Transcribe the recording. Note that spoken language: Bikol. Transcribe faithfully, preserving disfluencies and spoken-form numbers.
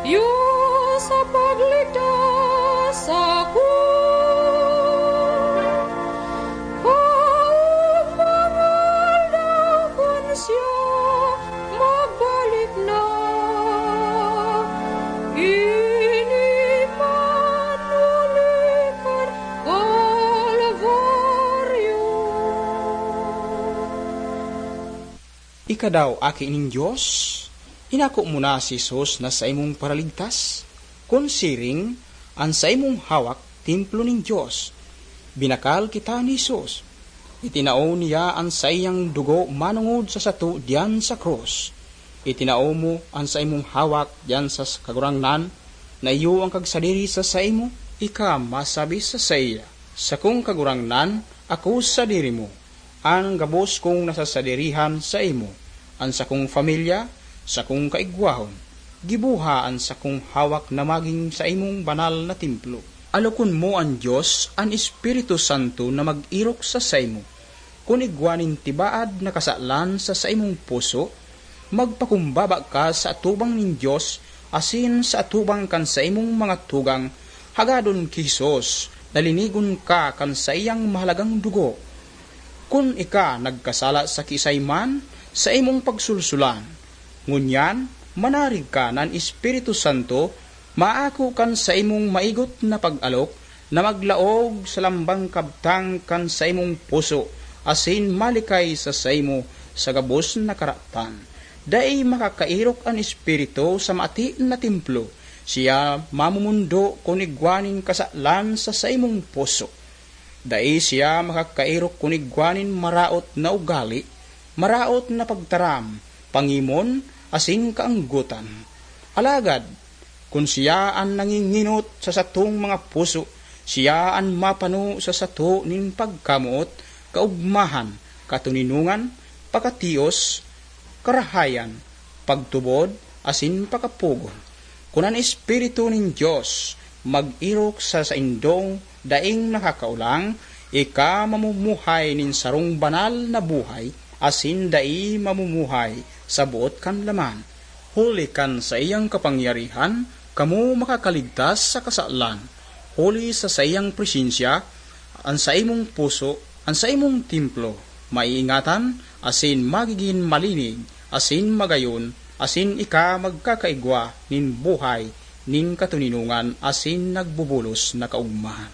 Dios sa pagligtas sako, paubang aldaw kun siya magbalik na, ini man huli kan Kalbaryo. Ika daw aki nin Dios, inako mo na si Jesus na saimong Paraligtas? Kun siring, an saimong hawak, templo nin Dios. Binakal kita ni Jesus. Itinao niya an saiyang dugo manongod sa sato diyan sa krus. Itinao mo an saimong hawak diyan sa Kagurangnan na iyo an kagsadiri sa saimo. Ika masabi sa saiya, "Sakong Kagurangnan, ako sadiri mo." An gabos kong nasasadirihan saimo, an sakong pamilya, sakong kaigwahon. Gibuha an sakong hawak na magin saimong banal na templo. Alokon mo an Dios, an Espiritu Santo na mag-erok sa saimo. Kun igwa nin tibaad na kasalan sa saimong puso, magpakumbaba ka sa atubang nin Dios asin sa atubang kan saimong mga tugang, hagadon ki Jesus na linigon ka kan saiyang mahalagang dugo. Kun ika nagkasala sa kiisay man, saimong pagsulsulan. Ngunyan, manarig ka na an Espiritu Santo maako kan saimong maigot na pag-alok na maglaog sa lambang kabtang kan saimong puso asin malikay sa saimo sa gabos na karatan. Dai makakaerok an Espiritu sa mati na templo. Siya mamumundo kun igwa nin kasalan sa saimong puso. Dai siya makakaerok kun igwa nin maraot na ugali, maraot na pagtaram, pangimon, asin kaanggotan. Alagad, kun siya an nangingenot sa satong mga puso, siya an mapano sa sato nin pagkamoot, kaogmahan, katoninongan, pakatios, karahayan, pagtubod, asin pakapugon. Kun an Espiritu nin Dios mag-erok sa saindong daing nakakaolang, ika mamumuhay nin sarong banal na buhay, asin dai mamumuhay sa boot kan laman. Huli kan saiyang kapangyarihan, kamo makakaligtas sa kasalan. Huli sa saiyang presensya, an saimong puso, an saimong templo, maiingatan, asin magigin malinig, asin magayon, asin ika magkakaigwa nin buhay nin katoninongan asin nagbubulos na kaogmahan.